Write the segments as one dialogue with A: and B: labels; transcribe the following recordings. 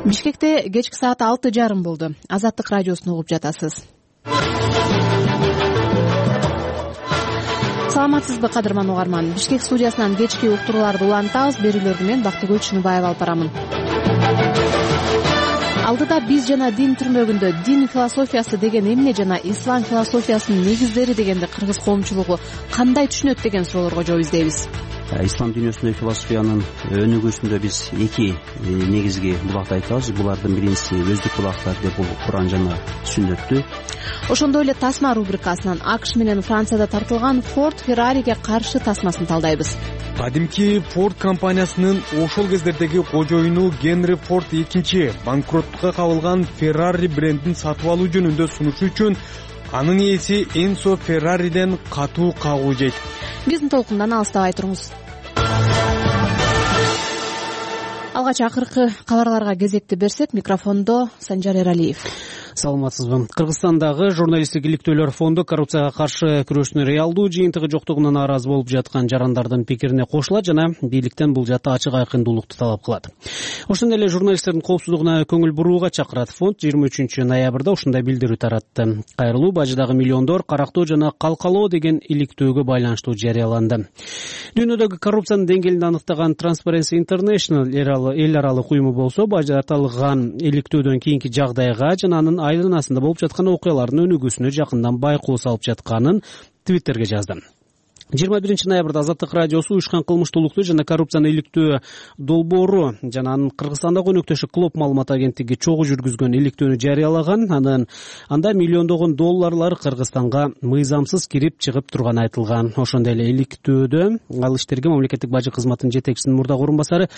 A: Бишкекте кечки саат 6:30 болду. Азаттык радиосун угуп жатасыз. Саламатсызбы, кадырман угарман. Бишкек студиясынан кечки уктурууларды улантабыз. Берүүлөрдү мен Бактыгүл Чыныбаева алып барамын. Алдыда биз жана дин түрмөгүндө дин философиясы деген эмне жана ислам философиясынын негиздери дегенди кыргыз коомчулугу кандай түшүнөт деген суроолорго жооп издейбиз.
B: Ислам дүйнөсүндө философиянын өнүгүүсүндө биз эки негизги булакты айтабыз. Булардын биринчиси өздүк булактар деп бул Куран жана Сүннөттү.
A: Ошондой эле тасма рубрикасынан АКШ менен Францияда тартылган Форд Феррариге каршы тасмасын талдайбыз.
C: Кадимки Форд компаниясынын ошол кездердеги кожоюну Генри Форд экинчи банкроттукка кабылган Феррари брендин сатып алуу жөнүндө сунушу үчүн анын ээси Энсо Феррариден катуу кагуу жейт.
A: Биздин толкундан алыстабай туруңуз. Алгач акыркы кабарларга кезекти берсек, микрофондо Санжар Эралиев.
D: Саламатсызбы. Кыргызстандагы журналисттик иликтөөлөр фонду коррупцияга каршы күрөштүн реалдуу жыйынтыгы жоктугунан нааразы болуп жаткан жарандардын пикирине кошулат жана бийликтен бул жаатта ачык айкындуулукту талап кылат. Ошондой эле журналисттердин коопсуздугуна көңүл бурууга чакырат. Фонд 23 ноябрда ушундай билдирүү таратты. Кайрылуу бажыдагы миллиондор карактоо жана калкалоо деген иликтөөгө байланыштуу жарыяланды. Дүйнөдөгү коррупциянын деңгээлин аныктаган Transparency International эл аралык уюму болсо, бажы аталган иликтөөдөн кийинки жагдайга жана анын айланасында болуп жаткан окуялардын өнүгүүсүнө жакындан байкоо салып жатканын Твиттерге жазды. 21 ноябрда Азаттык радиосу уюшкан кылмыштуулукту жана коррупцияны иликтөө долбоору жана анын Кыргызстандагы өнөктөшү Клоп маалымат агенттиги чогуу жүргүзгөн иликтөөнү жарыялаган. Анда миллиондогон долларлар Кыргызстанга мыйзамсыз кирип чыгып турганы айтылган. Ошондой эле иликтөөдө ал иштерге мамлекеттик бажы кызматынын жетекчисинин мурдагы орун басары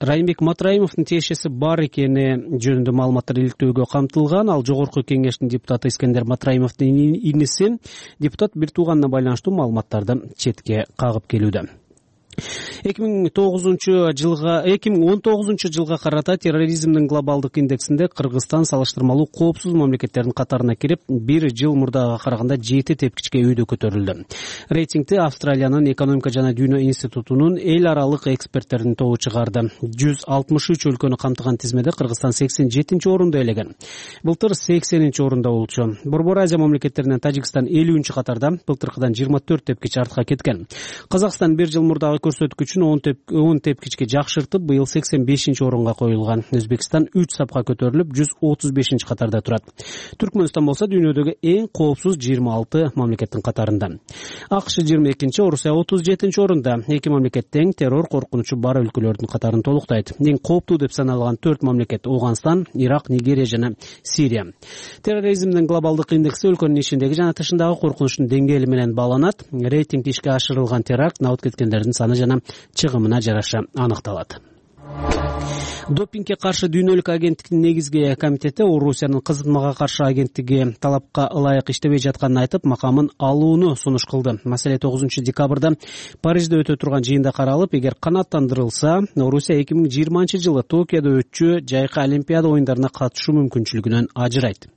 D: Райымбек Матраимовдун тиешеси бар экени жөнүндө маалыматтар иликтөөгө камтылган. Ал жогорку кеңештин депутаты Искендер Матраимовдун иниси. Депутат бир тууганына байланыштуу маалыматтарды четке кагып келүүдө. 2019 жылга карата терроризмдин глобалдык индексинде Кыргызстан салыштырмалуу коопсуз мамлекеттердин катарына кирип, бир жыл мурдага караганда 7 тепкичке өйдө көтөрүлдү. Рейтингти Австралиянын экономика жана дүйнө институтунун эл аралык эксперттердин тобу чыгарды. 163 өлкөнү камтыган тизмеде Кыргызстан 87 орунду ээлеген. Былтыр 80 орунда болчу. Борбор Азия мамлекеттеринен Тажикстан 50 катарда, былтыркыдан 24 тепкич артка кеткен. Казакстан бир жыл мурдагы көрсөткүчүн 10 тепкичке жакшыртып, быйыл 85 орунга коюлган. Өзбекстан 3 сапка көтөрүлүп, 135 катарда турат. Түркмөнстан болсо дүйнөдөгү эң коопсуз 26 мамлекеттин катарында. АКШ 22, Орусия 37 орунда. Эки мамлекет тең террор коркунучу бар өлкөлөрдүн катарын толуктайт. Эң кооптуу деп саналган 4 мамлекет Ауганстан, Ирак, Нигерия жана Сирия. Терроризмдин глобалдык индекси өлкөнүн ичиндеги жана тышындагы коркунучтун деңгээли менен багланат. Рейтинг ишке ашырылган теракт, абут кеткендердин саны жана чыгымына жараша аныкталат. Допингге каршы дүйнөлүк агенттиктин негизги комитети Орусиянын кызматка каршы агенттиги талапка ылайык иштебей жатканын айтып, макамын алууну сунуш кылды. Маселе 9 декабрда Парижде өтө турган жыйында каралып, эгер канааттандырылса, Орусия 2020 жылы Токиодо өтчү жайкы Олимпиада оюндарына катышуу мүмкүнчүлүгүнөн ажырайт.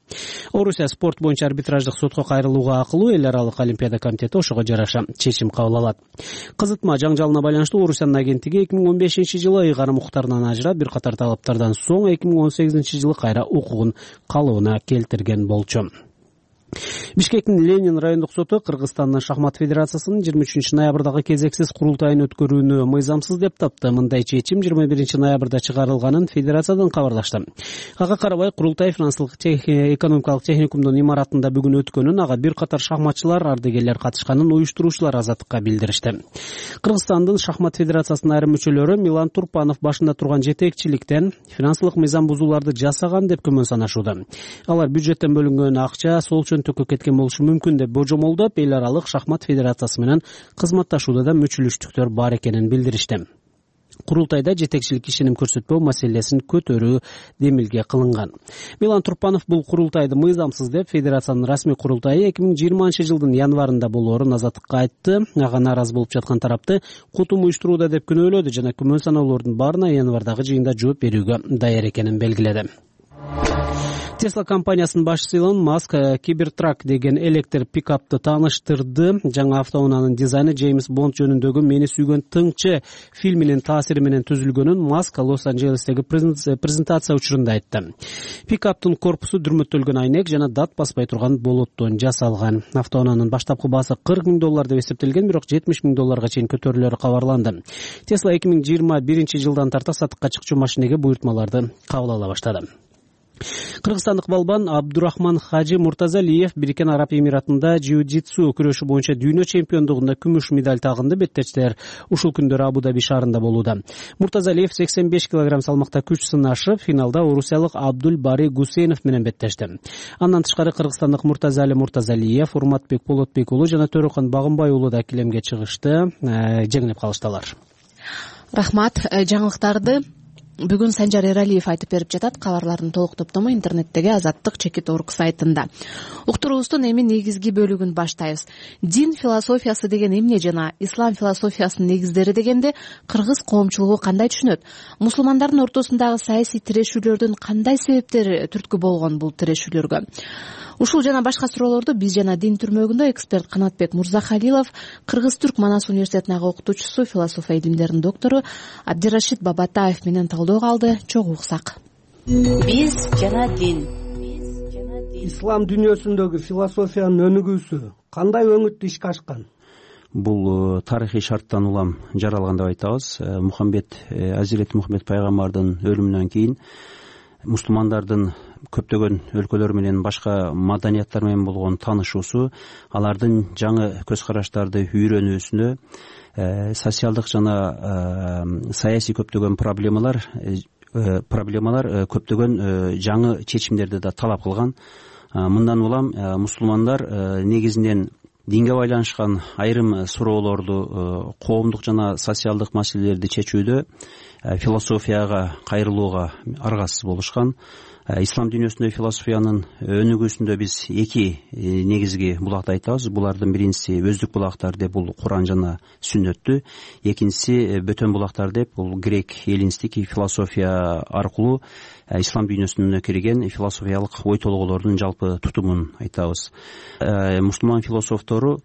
D: Орусия спорт боюнча арбитраждык сотко кайрылууга акылуу, эл аралык Олимпиада комитети ошого жараша чечим кабыл алат. Кызытма жаңжалына байланыштуу Орусиянын агенттиги 2015 жылы ыйгарым укуктарынан ажырап, бир катар талаптардан соң 2018 жылы кайра укугун калыбына келтирген болчу. Бишкектин Ленин райондук соту Кыргызстандын шахмат федерациясынын 23 ноябрдагы кезексиз курултайын өткөрүүнү мыйзамсыз деп тапты. Мындай чечим 21 ноябрда чыгарылганын федерациядан кабарлашты. Ага карабай курултай финансылык экономикалык техникумдун имаратында бүгүн өткөнүн, ага бир катар шахматчылар, ардагерлер катышканын уюштуруучулар Азаттыкка билдиришти. Кыргызстандын шахмат федерациясынын айрым мүчөлөрү Милан Турпанов башында турган жетекчиликтен финансылык мыйзам бузууларды жасаган деп күмөн санашууда. Алар бюджеттен бөлүнгөн акча сол төккө кеткен болушу мүмкүн деп божомолдоп, эл аралык шахмат федерациясы менен кызматташууда да мүчөлүштүктөр бар экенин билдиришти. Курултайда жетекчилик ишеним көрсөтпөө маселесин көтөрүү демилге кылынган. Милан Турпанов бул курултайды мыйзамсыз деп федерациянын расмий курултайы 2020 жылдын январында болоорун Азаттыкка айтты. Ага нааразы болуп жаткан тарапты кутум уюштурууда деп күнөөлөдү жана күмөн саноолордун баарына январдагы жыйында жооп берүүгө даяр экенин белгиледи. Tesla компаниясынын башчысы Илон Маск Cybertruck деген электр пикапты тааныштырды. Жаңы автоунаанын дизайны Джеймс Бонд жөнүндөгү Мени сүйгөн тыңчы фильминин таасири менен түзүлгөнүн Маск Лос-Анджелестеги презентация учурунда айтты. Пикаптын корпусу дүрмөттөлгөн айнек жана дат баспай турган болоттон жасалган. Автоунаанын баштапкы баасы $40,000 деп эсептелген, бирок $70,000 чейин көтөрүлөрү кабарланды. Tesla 2021 жылдан тарта сатыкка чыкчу машинеге буйртмаларды кабыл ала баштады. Кыргызстандык балбан Абдурахман Хажи Муртазалиев Бириккен Араб Эмиратында jiu-jitsu күрөшү боюнча дүйнө чемпиондугунда күмүш медаль тагынды. Беттечтер ушул күндөрү Абу-Даби шаарында болууда. Муртазалиев 85 кг салмакта күч сынашып, финалда орусиялык Абдул Бари Гусейнов менен беттешти. Андан тышкары кыргызстандык Муртазали Муртазалиев, Урматбек Болотбек уулу жана Төрөкөн Багымбай уулу да килемге чыгышты. Жеңилип калышты алар.
A: Рахмат. Жаңылыктарды бүгүн Санжар Эралиев айтып берип жатат. Кабарлардын толук топтому интернеттеги Азаттык.org сайтында. Уктуруубуздун эми негизги бөлүгүн баштайбыз. Дин философиясы деген эмне жана ислам философиясынын негиздери дегенде кыргыз коомчулугу кандай түшүнөт? Мусулмандардын ортосундагы саясий тирешүүлөрдүн кандай себептери түрткү болгон бул тирешүүлөргө? Ушул жана башка суроолорду биз жана Дин түрмөгүндө эксперт Канатбек Мурзахалилов, Кыргыз-Түрк Манас университетинин ага окутуучусу, философия илимдеринин доктору Абдирашид Бабатаев менен талдоого алды. Чогуу уксак.
E: Биз жана Дин.
F: Ислам дүйнөсүндөгү философиянын өнүгүүсү кандай өңүттү ишке ашкан?
B: Бул тарыхый шарттан улам жаралган деп айтабыз. Азирети Мухаммед пайгамбардын өлүмүнөн кийин мусулмандардын көптөгөн өлкөлөр менен башка маданияттар менен болгон таанышуусу, алардын жаңы көз караштарды үйрөнүүсүнө, социалдык жана саясий көптөгөн проблемалар көптөгөн жаңы чечимдерди да талап кылган. Мындан улам мусулмандар негизинен динге байланышкан айрым суроолорду, коомдук жана социалдык маселелерди чечүүдө философияга кайрылууга аргасыз болушкан. Ислам дүйнөсүндө философиянын өнүгүүсүндө биз эки негизги булакты айтабыз. Булардын биринчиси өздүк булактар деп бул Куран жана Сүннөттү, экинчиси бөтөн булактар деп бул грек эллинистик философия аркылуу ислам дүйнөсүнө кирген философиялык ой толгоолордун жалпы тутумун айтабыз. Мусулман философтору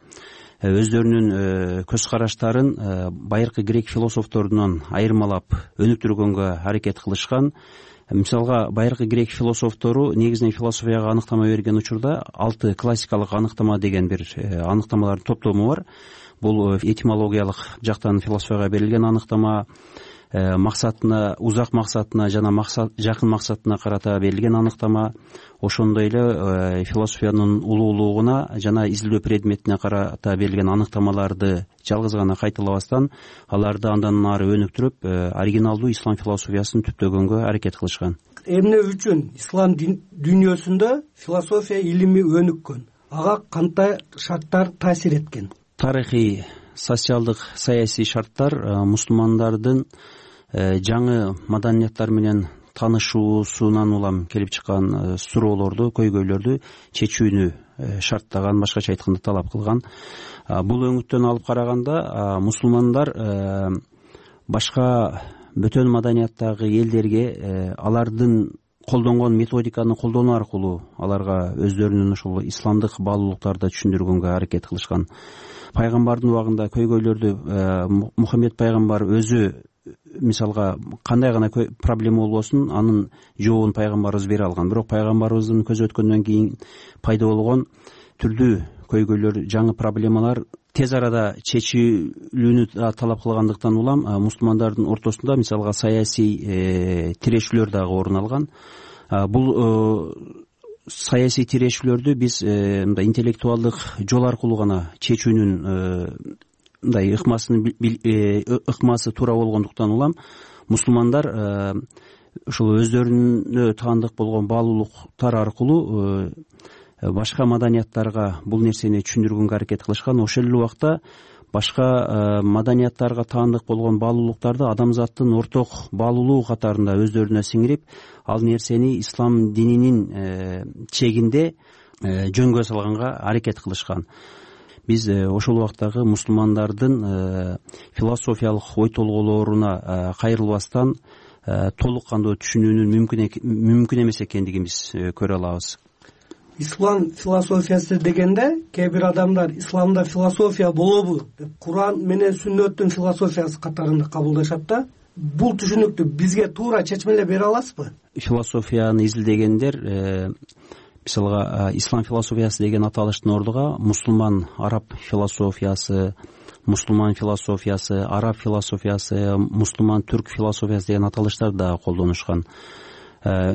B: өздөрүнүн көз караштарын байыркы грек философторунан айырмалап өнүктүргөнгө аракет кылышкан. Мисалга, байыркы грек философтору негизинен философияга аныктама берген учурда 6 классикалык аныктама деген бир аныктамалардын топтому бар. Бул этимологиялык жактан философияга берилген аныктама, максатына, узак максатына жана жакын максатына карата берилген аныктама, ошондой эле философиянын улуулугуна жана изилдөө предметине карата берилген аныктамаларды жалгыз гана кайталабастан, аларды андан ары өнүктүрүп, оригиналдуу ислам философиясын түптөгөнгө аракет кылышкан.
F: Эмне үчүн ислам дүйнөсүндө философия илими өнүккөн? Ага кандай шарттар таасир эткен?
B: Тарыхый, социалдык, саясий шарттар мусулмандардын жаңы маданияттар менен таанышуусунан улам келип чыккан суроолорду, көйгөйлөрдү чечүүнү шарттаган, башкача айтканда талап кылган. Бул өңүттөн алып караганда мусулмандар башка бөтөн маданияттагы элдерге алардын колдонгон методиканы колдонуу аркылуу аларга өздөрүнүн ушул исламдык баалуулуктарды түшүндүргөнгө аракет кылышкан. Пайгамбардын убагында көйгөйлөрдү Мухаммед пайгамбар өзү, мисалга, кандай гана проблема болбосун, анын жообун пайгамбарыбыз бере алган. Бирок пайгамбарыбыздын көзү өткөндөн кийин пайда болгон түрдүү көйгөйлөр, жаңы проблемалар тез арада чечилүүнү талап кылгандыктан улам мусулмандардын ортосунда, мисалга, саясий тирешүүлөр дагы орун алган. Бул саясий тирешүүлөрдү биз мындай интеллектуалдык жол аркылуу гана чечүүнүн мындай ыкмасы туура болгондуктан улам мусулмандар ушул өздөрүнө таандык болгон баалуулуктар аркылуу башка маданияттарга бул нерсени түшүндүргөнгө аракет кылышкан. Ошол эле убакта башка маданияттарга таандык болгон баалуулуктарды адамзаттын орток баалуулугу катарында өздөрүнө сиңирип, ал нерсени ислам дининин чегинде жөнгө салганга аракет кылышкан. Биз ошол убактагы мусулмандардын философиялык ой толгоолоруна кайрылбастан толук кандуу түшүнүүнүн мүмкүн эмес экендигин биз көрө алабыз.
F: Ислам философиясы дегенде кээ бир адамдар исламда философия болобу деп Куран менен сүннөттүн философиясы катарында кабылдашат да. Бул түшүнүктү бизге туура чечмелеп бере аласызбы?
B: Философияны изилдегендер мисалга ислам философиясы деген аталыштын ордуга мусулман араб философиясы, мусулман философиясы, араб философиясы, мусулман түрк философиясы деген аталыштарды да колдонушкан.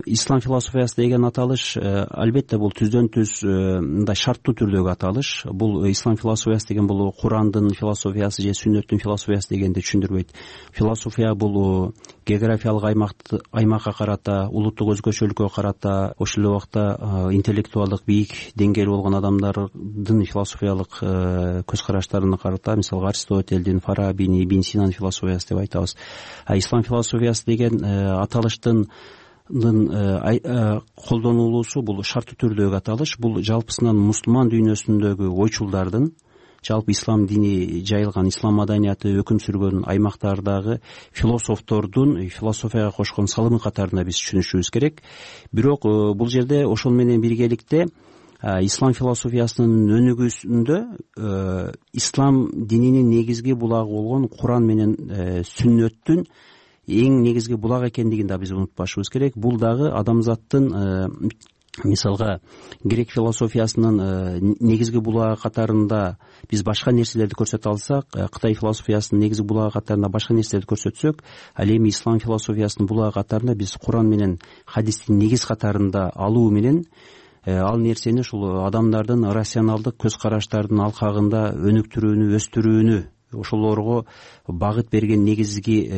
B: Ислам философиясы деген аталыш албетте бул түздөн түз мындай шарттуу түрдөгү аталыш. Бул ислам философиясы деген бул Курандын философиясы же сүннөттүн философиясы дегенди түшүндүрбөйт. Философия бул географиялык аймакка карата, улуттук өзгөчөлүккө карата, ошол эле убакта интеллектуалдык бийик деңгээли болгон адамдардын философиялык көз караштарына карата, мисалга Аристотельдин, Фарабини, Ибн Синанын философиясы деп айтабыз. Ислам философиясы деген аталыштын колдонулуусу бул шарттуу түрдөгү аталыш. Бул жалпысынан мусулман дүйнөсүндөгү ойчулдардын, жалпы ислам дини жайылган, ислам маданияты өкүм сүргөн аймактардагы философтордун философияга кошкон салымы катарында биз түшүнүшүбүз керек. Бирок бул жерде ошол менен биргеликте ислам философиясынын өнүгүүсүндө ислам дининин негизги булагы болгон Куран менен сүннөттүн эң негизги булак экендигин да биз унутпашыбыз керек. Бул дагы адамзаттын мисалга грек философиясынын негизги булагы катарында биз башка нерселерди көрсөтө алсак, Кытай философиясынын негизги булагы катарында башка нерселерди көрсөтсөк, ал эми ислам философиясынын булагы катарында биз Куран менен хадистин негиз катарында алуу менен ал нерсени ушул адамдардын рационалдык көз караштардын алкагында өнүктүрүүнү, өстүрүүнү, ошолорго багыт берген негизги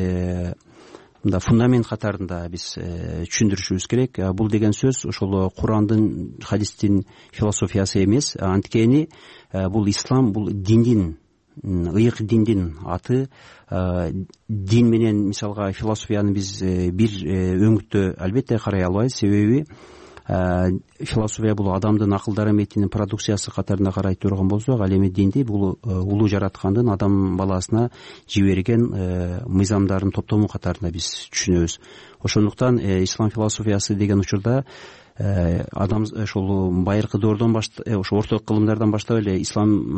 B: фундамент катарында биз түшүндүрүшүбүз керек. Бул деген сөз ошол Курандын, хадистин философиясы эмес, анткени бул ислам, бул диндин, ыйык диндин аты. Дин менен мисалга философияны биз бир өңүттө албетте карай албайбыз, себеби философия бул адамдын акылдар эметинин продукциясы катарында карай турган болсок, ал эми динди бул улуу жараткандын адам баласына жиберген мыйзамдардын топтому катарында биз түшүнөбүз. Ошондуктан ислам философиясы деген учурда адам ошол байыркы доордон ошо орто кылымдардан баштап эле ислам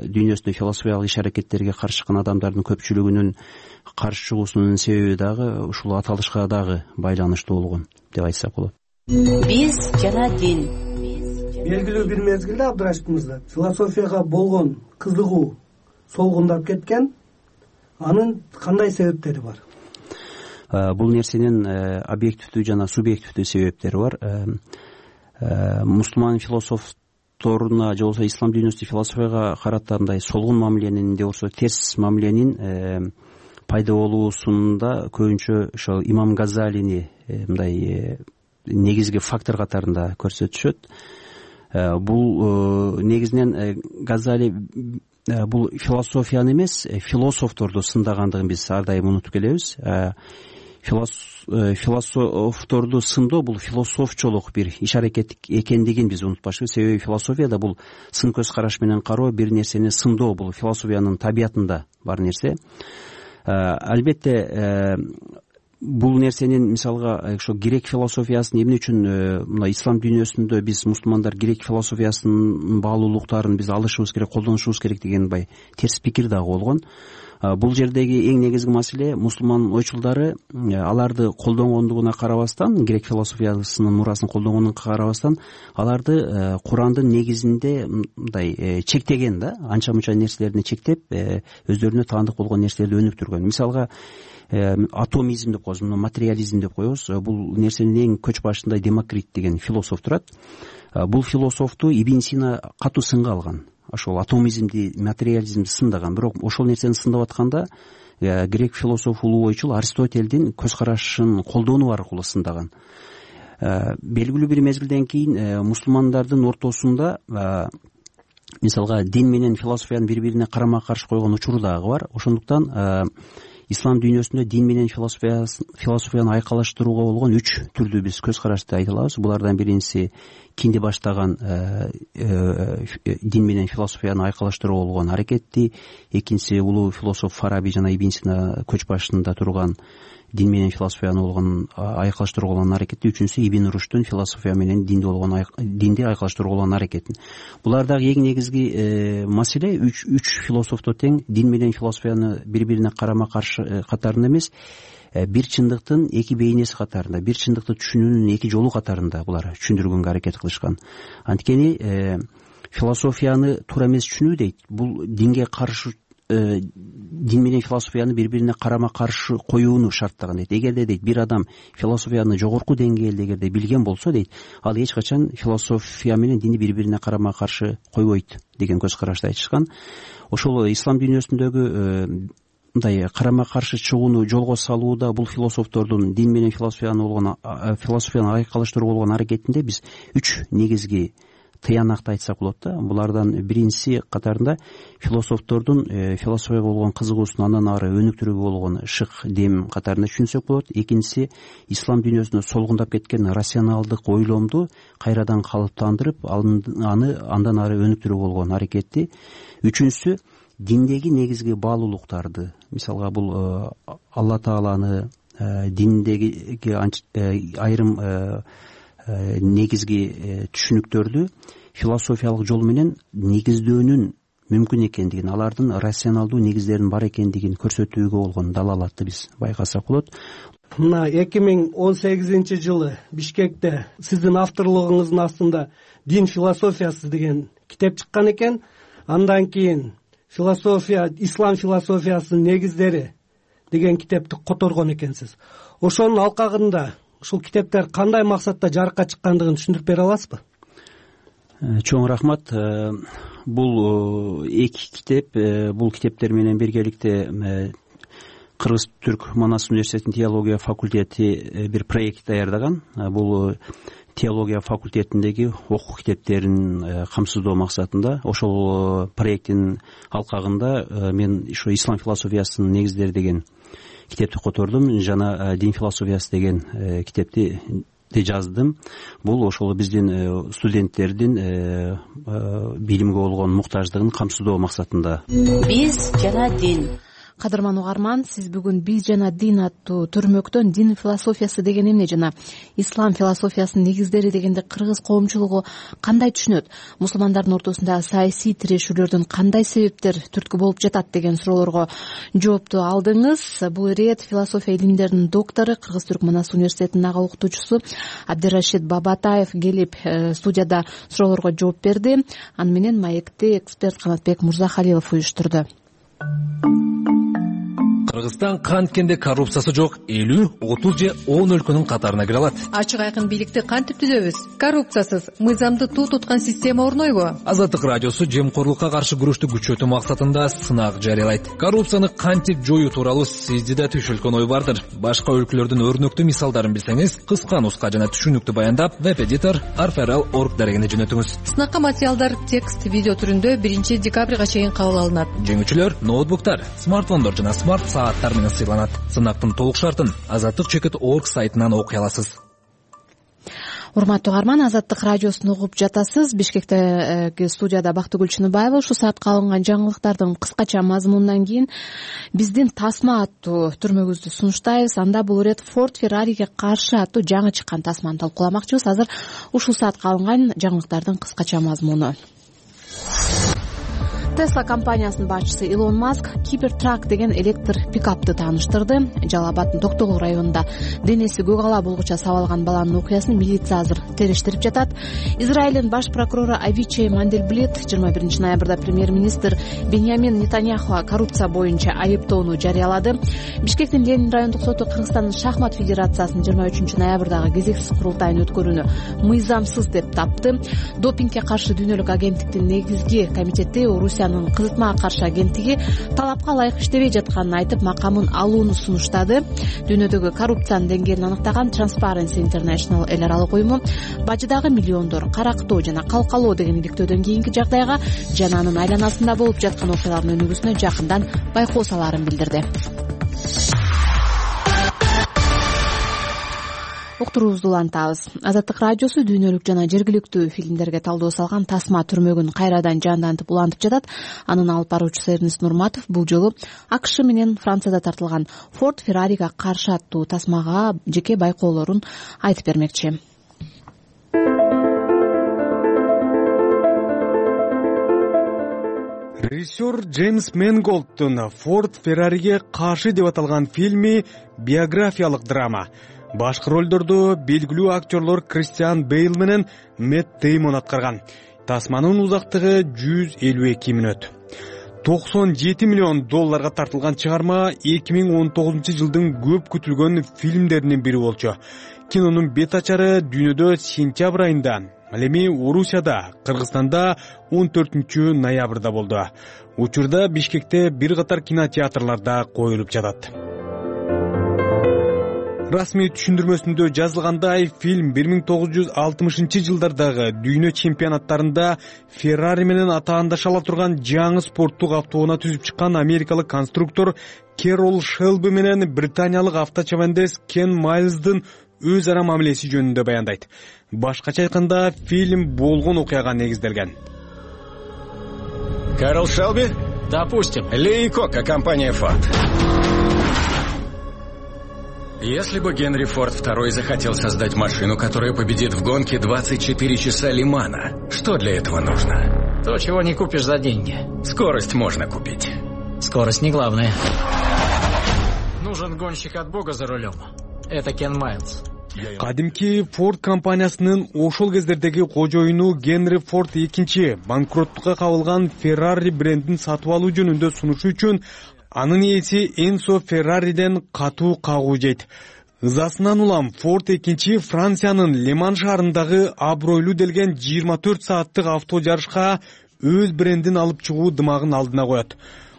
B: дүйнөсүндө философиялык иш аракеттерге каршы чыккан адамдардын көпчүлүгүнүн каршы чыгуусунун себеби дагы ушул аталышка дагы байланыштуу болгон деп айтсак болот.
E: Биз жана дин.
F: Белгилүү бир мезгилде Абдырашид мырза философияга болгон кызыгуу солгундап кеткен. Анын кандай себептери бар?
B: Бул нерсенин объективдүү жана субъективдүү себептери бар. Мусулман философторуна же болбосо ислам дүйнөсүндө философияга карата мындай солгун мамиленин же болбосо терс мамиленин пайда болуусунда көбүнчө ошо имам Газалини мындай негизги фактор катарында көрсөтүшөт. Бул негизинен Газали бул философияны эмес, философторду сындагандыгын биз ар дайым унутуп келебиз. Философторду сындоо бул философчолук бир иш аракет экендигин биз унутпашыбыз. Себеби философияда бул сын көз караш менен кароо, бир нерсени сындоо, бул философиянын табиятында бар нерсе. Албетте бул нерсенин мисалга ошо грек философиясын эмне үчүн мына ислам дүйнөсүндө биз мусулмандар грек философиясынын баалуулуктарын биз алышыбыз керек, колдонушубуз керек деген терс пикир дагы болгон. Бул жердеги эң негизги маселе мусулман ойчулдары аларды колдонгондугуна карабастан, грек философиясынын мурасын колдонгонуна карабастан, аларды Курандын негизинде мындай чектеген да, анча мынча нерселерди чектеп, өздөрүнө таандык болгон нерселерди өнүктүргөн. Мисалга атомизм деп коебуз, материализм деп коебуз. Бул нерсенин эң көч башында Демокрит деген философ турат. Бул философту Ибн Сина катуу сынга алган. Ошол атомизмди, материализмди сындаган. Бирок ошол нерсени сындап атканда грек философ улуу ойчул Аристотельдин көз карашын колдонуу аркылуу сындаган. Белгилүү бир мезгилден кийин мусулмандардын ортосунда мисалга дин менен философияны бири-бирине карама каршы койгон учуру дагы бар. Ошондуктан ислам дүйнөсүндө дин менен философияны айкалаштырууга болгон 3 түрдүү биз көз карашты айта алабыз. Булардан биринчиси кинди баштаган дин менен философияны айкалаштырууга болгон аракетти, экинчиси улуу философ Фараби жана Ибн Сина көч башында турган дин менен философияны болгон айкалыштырууга болгон аракети, үчүнчүсү Ибн Руштун философия менен динди айкалыштырууга болгон аракети. Булардагы эң негизги маселе үч философто тең дин менен философияны бири-бирине карама каршы катарында эмес, бир чындыктын эки бейнеси катарында, бир чындыкты түшүнүүнүн эки жолу катарында булар түшүндүргөнгө аракет кылышкан. Анткени философияны туура эмес түшүнүү дейт, бул динге каршы, дин менен философияны бири-бирине карама каршы коюуну шарттаган дейт. Эгерде дейт бир адам философияны жогорку деңгээлде эгерде билген болсо дейт, ал эч качан философия менен динди бири-бирине карама каршы койбойт деген көз карашты айтышкан. Ошол ислам дүйнөсүндөгү мындай карама каршы чыгууну жолго салууда бул философтордун дин менен философияны айкалыштыруу болгон аракетинде биз үч негизги тыянакты айтсак болот да. Булардан биринчиси катарында философтордун философияга болгон кызыгуусун андан ары өнүктүрүүгө болгон шык дем катарында түшүнсөк болот. Экинчиси ислам дүйнөсүндө солгундап кеткен рационалдык ойломду кайрадан калыптандырып аны андан ары өнүктүрүүгө болгон аракети. Үчүнчүсү диндеги негизги баалуулуктарды, мисалга бул Алла Тааланы, диндеги айрым негизги түшүнүктөрдү философиялык жол менен негиздөөнүн мүмкүн экендигин, алардын рационалдуу негиздеринин бар экендигин көрсөтүүгө болгон далалатты биз байкасак болот.
F: Мына 2018 жылы Бишкекте сиздин авторлугуңуздун астында Дин философиясы деген китеп чыккан экен. Андан кийин ислам философиясынын негиздери деген китепти которгон экенсиз. Ошонун алкагында ушул китептер кандай максатта жарыкка чыккандыгын түшүндүрүп бере аласызбы?
B: Чоң рахмат. Бул эки китеп, бул китептер менен биргеликте Кыргыз-Түрк Манас университетинин теология факультети бир проект даярдаган. Бул теология факультетиндеги окуу китептерин камсыздоо максатында. Ошол проекттин алкагында мен ошо ислам философиясынын негиздери деген китепти котордум жана дин философиясы деген китепти жаздым. Бул ошол биздин студенттердин билимге болгон муктаждыгын камсыздоо максатында.
E: Биз жана дин.
A: Кадырман угарман, сиз бүгүн «Биз жана дин» аттуу төрмөктөн дин философиясы деген эмне жана ислам философиясынын негиздери дегенде кыргыз коомчулугу кандай түшүнөт, мусулмандардын ортосунда саясий тирешүүлөрдүн кандай себептер түрткү болуп жатат деген суроолорго жоопту алдыңыз. Бул ирет философия илимдеринин доктору, Кыргыз-Түрк Манас университетинин ага окутуучусу Абдирашид Бабатаев келип студияда суроолорго жооп берди. Аны менен маекти эксперт Канатбек Мурзахалилов уюштурду.
G: Кыргызстан канткенде коррупциясы жок 50, 30 же 10 өлкөнүн катарына кире алат.
H: Ачык айкын бийликти кантип түзөбүз? Коррупциясыз мыйзамды туу туткан система орнойбу?
G: Азаттык радиосу жемкорлукка каршы күрөштү күчөтүү максатында сынак жарыялайт. Коррупцияны кантип жоюу тууралуу сизде да түшүлгөн ой бардыр. Башка өлкөлөрдүн өрнөктүү мисалдарын билсеңиз, кыска-нуска жана түшүнүктүү баяндап веб-эдитор arferal.org дарегине жөнөтүңүз.
H: Сынакка материалдар текст, видео түрүндө 1 декабрга чейин кабыл алынат.
G: Жеңүүчүлөр ноутбуктар, смартфондор жана смарт сааттар менен сыйланат. Сынактын толук шартын azattik.org сайтынан окуй аласыз.
A: Урматтуу угарман, Азаттык радиосун угуп жатасыз. Бишкектеги студияда Бактыгүл Чыныбаева. Ушул саатка алынган жаңылыктардын кыскача мазмунунан кийин биздин тасма аттуу түрмөгүздү сунуштайбыз. Анда бул ирет Ford Ferrari'ге каршы аттуу жаңы чыккан тасманы талкууламакчыбыз. Азыр ушул саатка алынган жаңылыктардын кыскача мазмуну. Tesla компаниясынын башчысы Илон Маск Cybertruck деген электр пикапты тааныштырды. Жалал Абаддын Токтогул районунда денеси көк ала булгуча сабалган баланын окуясын милиция азыр териштирип жатат. Израилдин баш прокурору Авичей Манделблит 21 ноябрда премьер-министр Беньямин Нетаньяхуга коррупция боюнча айыптоону жарыялады. Бишкектин Ленин райондук соту Кыргызстандын шахмат федерациясынын 23 ноябрдагы кезексиз курултайын өткөрүүнү мыйзамсыз деп тапты. Допингге каршы дүйнөлүк агенттиктин негизги комитети Орусиянын кызытмага каршы агенттиги талапка ылайык иштебей жатканын айтып, макамын алууну сунуштады. Дүйнөдөгү коррупциянын деңгээлин аныктаган Transparency International эл аралык уюму бажыдагы миллиондор карактоо жана калкалоо деген иликтөөдөн кийинки жагдайга жана анын айланасында болуп жаткан окуялардын өнүгүүсүнө жакындан байкоо салаарын билдирди. уктуруубузду улантабыз. Азаттык радиосу дүйнөлүк жана жергиликтүү фильмдерге талдоо салган Тасма түрмөгүн кайрадан жандантып улантып жатат. Анын алып баруучусу Эрнест Нурматов бул жолу АКШ менен Францияда тартылган Форд Феррарига каршы аттуу тасмага жеке байкоолорун айтып бермекчи.
C: Режиссер Джеймс Мэнголдтун Форд Феррариге каршы деп аталган фильми биографиялык драма. Башкы ролдорду белгилүү актерлор Кристиан Бейл менен Мэтт Деймон аткарган. Тасманын узактыгы 152 мүнөт. 97 миллион долларга тартылган чыгарма 2019 жылдын көп күтүлгөн фильмдеринин бири болчу. Кинонун бет ачары дүйнөдө сентябрь айында, ал эми Орусияда, Кыргызстанда 14 ноябрда болду. Учурда Бишкекте бир катар кинотеатрларда коюлуп жатат. Расмий түшүндүрмөсүндө жазылгандай, фильм 1960 жылдардагы дүйнө чемпионаттарында Феррари менен атаандаша ала турган жаңы спорттук автоунаа түзүп чыккан америкалык конструктор Керол Шелби менен британиялык авточабандес Кен Майлздын өз ара мамилеси жөнүндө баяндайт. Башкача айтканда, фильм болгон окуяга негизделген.
I: Карл Шелби? Допустим. Ли и Кока, компания Ford. Если бы Генри Форд II захотел создать машину, которая победит в гонке 24 часа Лимана, что для этого нужно?
J: То, чего не купишь за деньги.
I: Скорость можно купить.
J: Скорость не главное. Нужен гонщик от Бога за рулем. Это Кен Майлз.
C: Кадимки Форд компаниясынын ошол кездердеги кожоюну Генри Форд II банкроттукка кабылган Феррари брендин сатып алуу жөнүндө сунушу үчүн анын ээси Энсо Феррариден катуу кагуу жейт. Ызасынан улам Форд II Франциянын Леман шаарындагы абройлуу делген 24 сааттык авто жарышка өз брендин алып чыгуу дымагын алдына коет.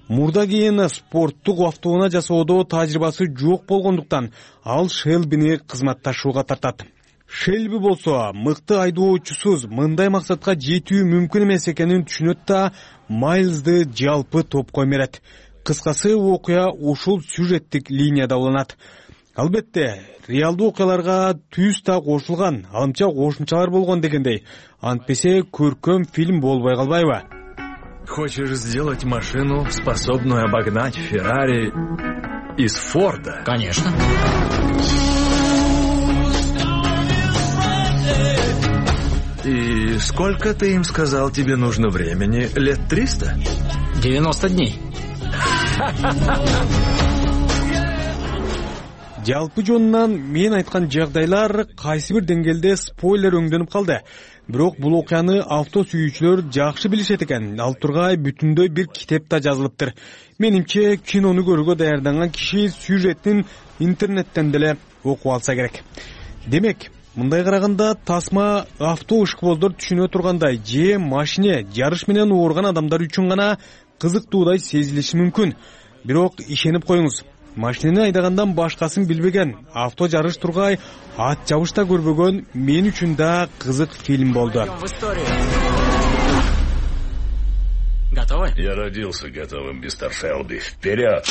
C: Мурда кийин спорттук автоунаа жасоодо тажрыйбасы жок болгондуктан ал Шелбини кызматташууга тартат. Шелби болсо мыкты айдоочусуз мындай максатка жетүү мүмкүн эмес экенин түшүнөт да Майлзды жалпы топко эмерет. Кыскасы, окуя ушул сюжеттик линияда уланат. Албетте, реалдуу окуяларга түз так кошулган, алымча кошумчалар болгон дегендей. Антпесе көркөм фильм болбой калбайбы?
K: Хочешь сделать машину, способную обогнать Феррари из Форда?
J: Конечно.
K: И сколько ты им сказал, тебе нужно времени? Лет 300?
J: 90 дней.
C: Жалпы жонунан мен айткан жагдайлар кайсы бир деңгээлде спойлер өңдөнүп калды. Бирок бул окуяны авто сүйүүчүлөр жакшы билишет экен. Ал тургай бүтүндөй бир китепте жазылыптыр. Менимче, кинону көрүүгө даярданган киши сюжеттин интернеттен деле окуп алса керек. Демек, мындай караганда тасма авто ышкыбоздор түшүнө тургандай же машине жарыш менен ооруган адамдар үчүн гана кызыктуудай сезилиши мүмкүн. Бирок ишенип коюңуз, машинени айдагандан башкасын билбеген, авто жарыш тургай ат жабышта көрбөгөн мен үчүн да кызык фильм болду.
J: Готовы?
K: Я родился готовым, мистер Шелби. Вперед!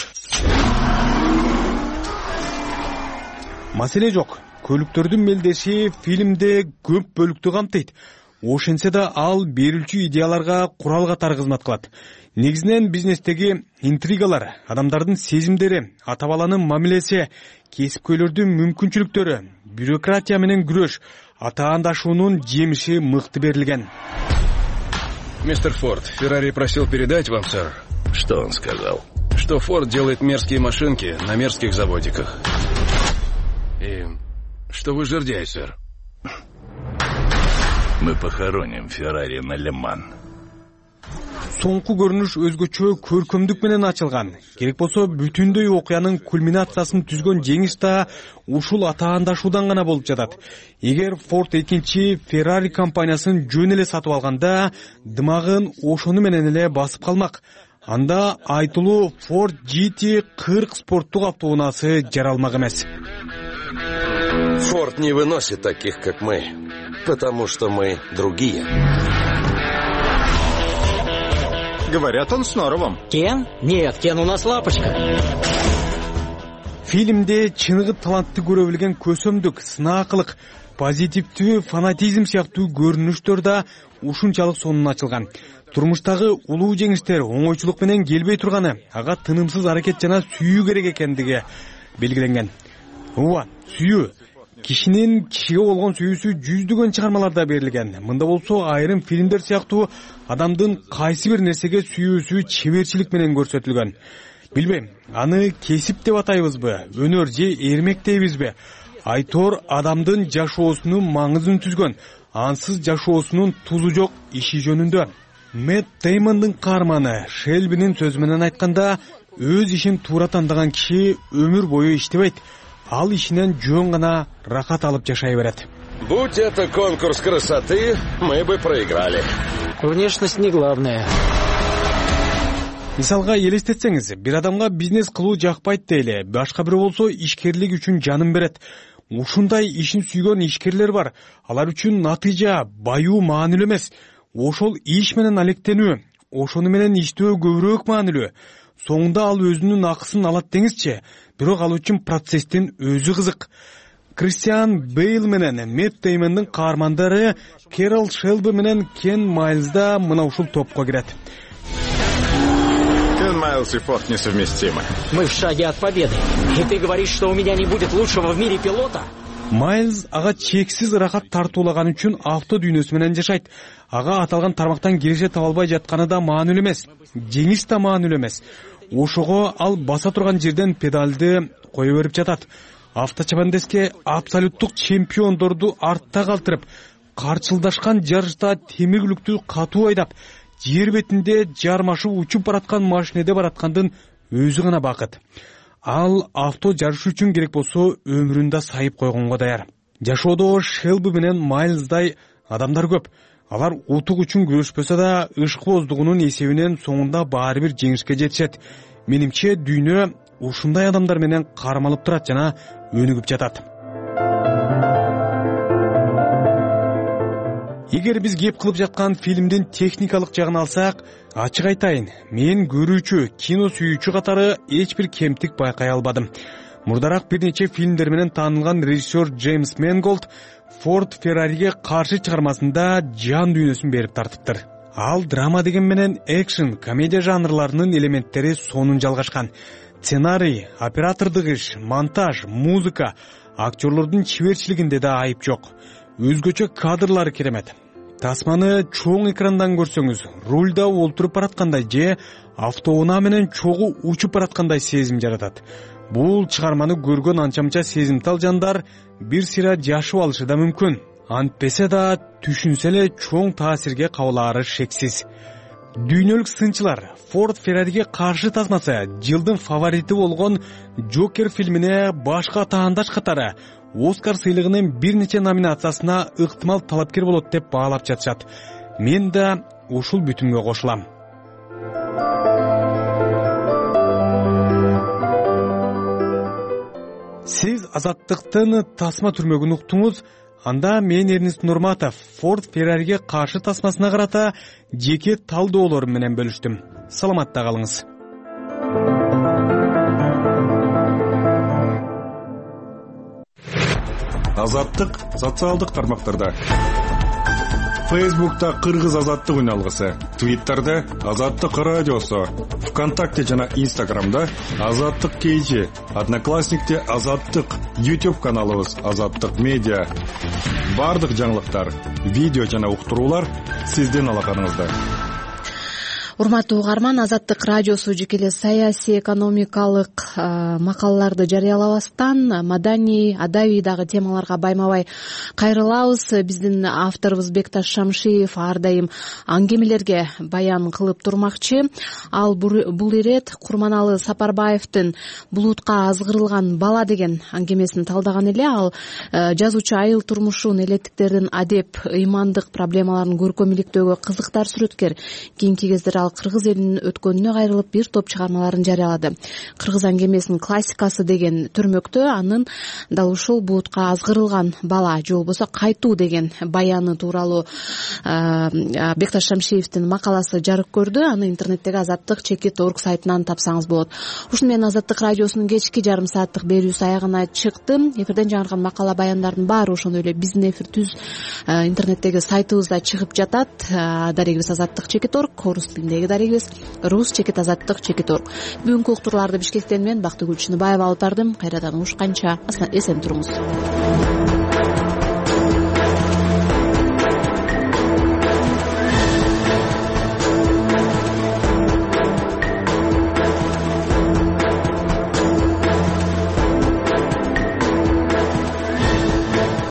C: Маселе жок. Көлүктөрдүн мелдеши фильмде көп бөлүктү камтыйт. Ошентсе да ал берүүчү идеяларга курал катары кызмат кылат. Негизинен бизнестеги интригалар, адамдардын сезимдери, ата-баланын мамилеси, кесипкөйлөрдүн мүмкүнчүлүктөрү, бюрократия менен күрөш, атаандашуунун жемиши мыкты берилген.
L: Мистер Форд, Феррари просил передать вам, сэр.
K: Что он сказал?
L: Что Форд делает мерзкие машинки на мерзких заводиках. И что вы жердяй, сэр.
K: Мы похороним Феррари на Леман.
C: Соңку көрүнүш өзгөчө көркөмдүк менен ачылган. Керек болсо бүтүндөй окуянын кульминациясын түзгөн жеңиш да ушул атаандашуудан гана болуп жатат. Эгер Форд II Феррари компаниясын жөн эле сатып алганда, дымагын ошону менен эле басып калмак. Анда айтылуу Ford GT40 спорттук автоунаасы жаралмак эмес.
M: Форд не выносит таких, как мы, потому что мы другие.
I: Говорят, он с норовом.
J: Кен? Нет, Кен у нас лапочка.
C: Фильмде чыныгы талантты көрө билген көсөмдүк, сынаакылык, позитивдүү фанатизм сыяктуу көрүнүштөр да ушунчалык сонун ачылган. Турмуштагы улуу жеңиштер оңойчулук менен келбей турганы, ага тынымсыз аракет жана сүйүү керек экендиги белгиленген. Ооба, сүйүү. Кишинин кишиге болгон сүйүүсү жүздөгөн чыгармаларда берилген. Мында болсо айрым фильмдер сыяктуу адамдын кайсы бир нерсеге сүйүүсү чеберчилик менен көрсөтүлгөн. Билбейм, аны кесип деп атайбызбы, өнөр же эрмек дейбизби? Айтор адамдын жашоосунун маңызын түзгөн, ансыз жашоосунун тузу жок иши жөнүндө. Мэтт Деймондун каарманы Шелбинин сөзү менен айтканда, өз ишин туура тандаган киши өмүр бою иштебейт. Ал ишинен жөн гана рахат алып жашай берет.
M: Будь это конкурс красоты, мы бы проиграли.
J: Внешность не главное.
C: Мисалга элестетсеңиз, бир адамга бизнес кылуу жакпайт дейли, башка бирөө болсо ишкерлик үчүн жанын берет. Ушундай ишин сүйгөн ишкерлер бар. Алар үчүн натыйжа, баюу маанилүү эмес. Ошол иш менен алектенүү, ошону менен иштөө көбүрөөк маанилүү. Соңунда ал өзүнүн акысын алат деңизчи, бирок ал үчүн процесстин өзү кызык. Кристиан Бейл менен Мэтт Деймондун каармандары Кэрол Шелби менен Кен Майлз да мына ушул топко кирет.
N: Кен Майлз и Форд несовместимы.
J: Мы в шаге от победы. И ты говоришь, что у меня не будет лучшего в мире пилота?
C: Майлз ага чексиз рахат тартуулаган үчүн авто дүйнөсү менен жашайт. Ага аталган тармактан киреше таба албай жатканы да маанилүү эмес. Жеңиш да маанилүү эмес. Ошого ал баса турган жерден педалды кое берип жатат. Авточабандеске абсолюттук чемпиондорду артта калтырып, карчылдашкан жарышта темиргүлүктү катуу айдап, жер бетинде жармашып учуп бараткан машинеде бараткандын өзү гана бакыт. Ал авто жарыш үчүн керек болсо өмүрүндө сайып койгонго даяр. Жашоодо Шелби менен Майлздай адамдар көп. Алар утук үчүн күрөшпөсө да ышкыбоздугунун эсебинен соңунда баары бир жеңишке жетишет. Менимче дүйнө ушундай адамдар менен кармалып турат жана өнүгүп жатат. Эгер биз кеп кылып жаткан фильмдин техникалык жагын алсак, ачык айтайын, мен көрүүчү, кино сүйүүчү катары эч бир кемтик байкай албадым. Мурдараак бир нече фильмдер менен таанылган режиссер Джеймс Менголд Форд Феррариге каршы чыгармасында жан дүйнөсүн берип тартыптыр. Ал драма деген менен экшен, комедия жанрларынын элементтери сонун жалгашкан. Сценарий, оператордук иш, монтаж, музыка, актерлордун чеберчилигинде да айып жок. Өзгөчө кадрлары керемет. Тасманы чоң экрандан көрсөңүз, рульда олтуруп бараткандай же автоунаа менен чогуу учуп бараткандай сезим жаратат. Бул чыгарманы көргөн анча-мынча сезимтал жандар бир сыйра жашып алышы да мүмкүн. Антпесе да түшүнсө эле чоң таасирге кабылаары шексиз. Дүйнөлүк сынчылар Форд Феррариге каршы тасмасы жылдын фаворити болгон Джокер фильмине башка таандаш катары Оскар сыйлыгынын бир нече номинациясына ыктымал талапкер болот деп баалап жатышат. Мен да ушул бүтүнгө кошулам. Сиз азаттыктын тасма түрмөгүн уктуңуз. Анда мен Эрнест Нурматов Форд Феррариге каршы тасмасына карата жеке талдоолорум менен бөлүштүм. Саламатта калыңыз.
N: Азаттык социалдык тармактарда. Фейсбукта Кыргыз азаттык үналгысы, Твиттерде Азаттык радиосу, ВКонтакте жана Инстаграмда Азаттык KG, Одноклассникте Азаттык, YouTube каналыбыз Азаттык медиа. Бардык жаңылыктар, видео жана уктуруулар сиздин алаканыңызда.
A: Урматтуу угарман, Азаттык радиосу жеке саясий, экономикалык макалаларды жарыялабастан маданий, адабий дагы темаларга байма-бай кайрылабыз. Биздин авторубуз Бекташ Шамшиев ар дайым аңгемелерге баян кылып турмакчы. Ал бул ирет Курманалы Сапарбаевдин «Булутка азгырылган бала» деген аңгемесин талдаган эле. Ал жазуучу айыл турмушун, элеттиктердин адеп, ыймандык проблемаларын көркөм иликтөөгө кызыктар сүрөткер. Кийинки кездер ал кыргыз элинин өткөнүнө кайрылып бир топ чыгармаларын жарыялады. Кыргыз аңгемесинин классикасы деген түрмөктө анын дал ушул буутка азгырылган бала же болбосо кайтуу деген баяны тууралуу Бекташ Шамшиевдин макаласы жарык көрдү. Аны интернеттеги Азаттык.org сайтынан тапсаңыз болот. Ушуну менен Азаттык радиосунун кечки жарым сааттык берүүсү аягына чыкты. Эфирден жаңырган макала баяндардын баары ошондой эле биздин эфир түз интернеттеги сайтыбызда чыгып жатат. Дарегибиз Азаттык.org, орус тилиндеги дарегибиз rus.azаттык.org. Бүгүнкү уктурууларды Бишкектен мен Бактыгүл Чыныбаева алып бардым. Кайрадан угушканча эсен туруңуз.